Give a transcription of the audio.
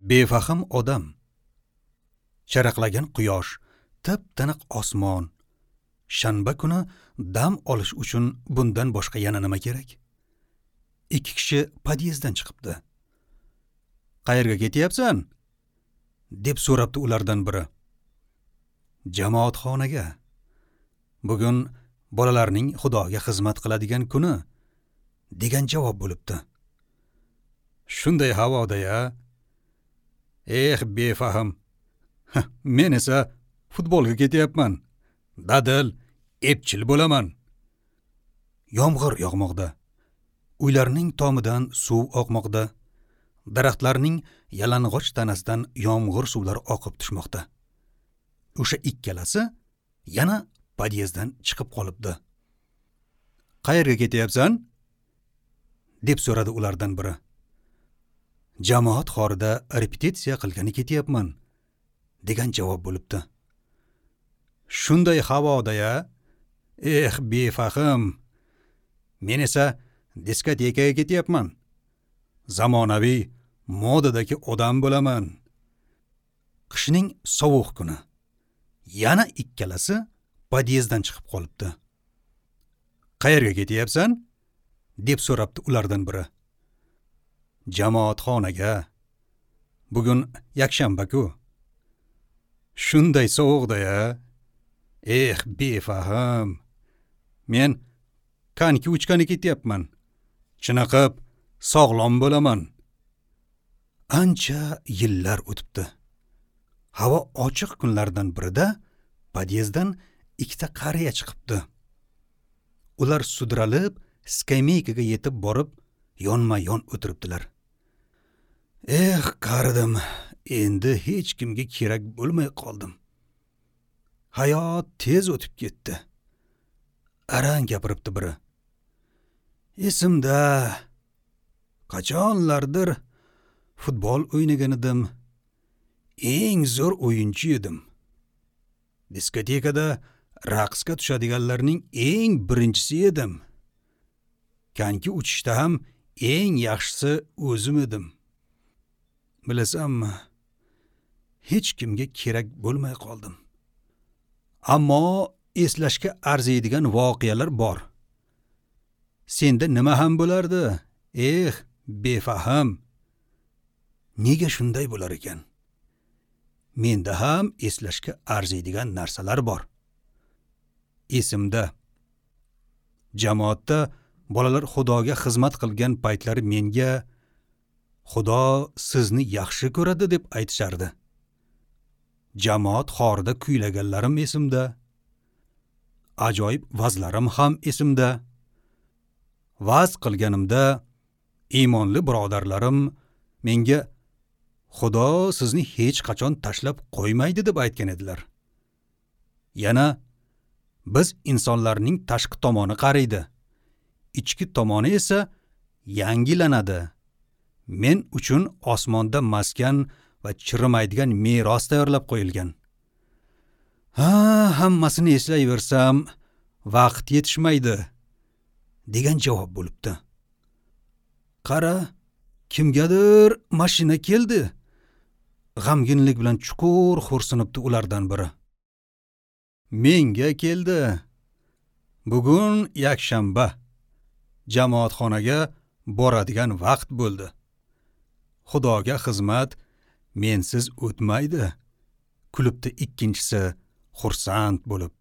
Befahm odam. Charaqlagan quyosh, tip-tiniq osmon. Shanba kuni dam olish uchun bundan boshqa yana nima kerak? Ikki kishi podyezddan chiqibdi. Qayerga ketyapsan? Deb so'rabdi ulardan biri. Jamoatxonaga. Bugun bolalarning Xudoga xizmat qiladigan kuni, degan javob bo'libdi. Shunday havoda-ya. Eh, befahm. Men esa futbolga ketyapman. Dadil, epchil bo'laman. Yomg'ir yog'moqda. Uylarning tomidan suv oqmoqda. Daraxtlarning yalang'och tanasidan yomg'ir suvlari oqib tushmoqda. O'sha ikkalasi yana podyezddan chiqib qolibdi. Qayerga ketyapsan? Deb so'radi ulardan biri. Jamoat xorida repetitsiya qilgani ketyapman, degan javob bo'libdi. Shunday havoda-ya. Eh, befahm. Men esa diskotekaga ketyapman. Zamonaviy modadagi odam bo'laman. Qishning sovuq kuni. Yana ikkalasi podyezddan chiqib qolibdi. Qayerga ketyapsan? Deb so'rabdi ulardan biri. Jamoatxonaga. Bugun yakshanba-ku. Shunday sovuqda-ya. Eh, befahm. Men konki uchgani ketyapman. Chiniqib, sog'lom bo'laman. Ancha yillar o'tibdi. Havo ochiq kunlardan birida podyezddan ikkita qariya chiqibdi. Ular sudralib skameykaga yetib borib, yonma-yon o'tiribdilar. Eh, qaridim, endi hech kimga kerak bo'lmay qoldim. Hayot tez o'tib ketdi. Arang gapiribdi biri. Esimda, qachonlardir futbol o'ynagan edim. Eng zo'r o'yinchi edim. Diskotekada raqsga tushadiganlarning eng birinchisi edim. Konki uchishda ham eng yaxshisi o'zim edim. Bilasanmi, hech kimga kerak bo'lmay qoldim. Ammo eslashga arziydigan voqealar bor. Senda nima ham bo'lardi? Eh, befahm. Nega shunday bo'lar ekan? Menda ham eslashga arziydigan narsalar bor. Esimda. Jamoatda bolalar Xudoga xizmat qilgan paytlari menga Xudo sizni yaxshi ko'radi deb aytishardi. Jamoat xorida kuylaganlarim esimda. Ajoyib vazlarim ham esimda. Vaz qilganimda iymonli birodarlarim menga Xudo sizni hech qachon tashlab qo'ymaydi deb aytgan edilar. Yana biz insonlarning tashqi tomoni qariydi, ichki tomoni esa yangilanadi. Men uchun osmonda maskan va chirimaydigan meros tayyorlab qo'yilgan. Ha, hammasini eslayversam vaqt yetishmaydi, degan javob bo'libdi. Qara, kimgadir mashina keldi. G'amginlik bilan chuqur xo'rsinibdi ulardan biri. Menga keldi. Bugun yakshanba. Jamoatxonaga boradigan vaqt bo'ldi. Xudoga xizmat mensiz o'tmaydi, kulibdi ikkinchisi xursand bo'lib.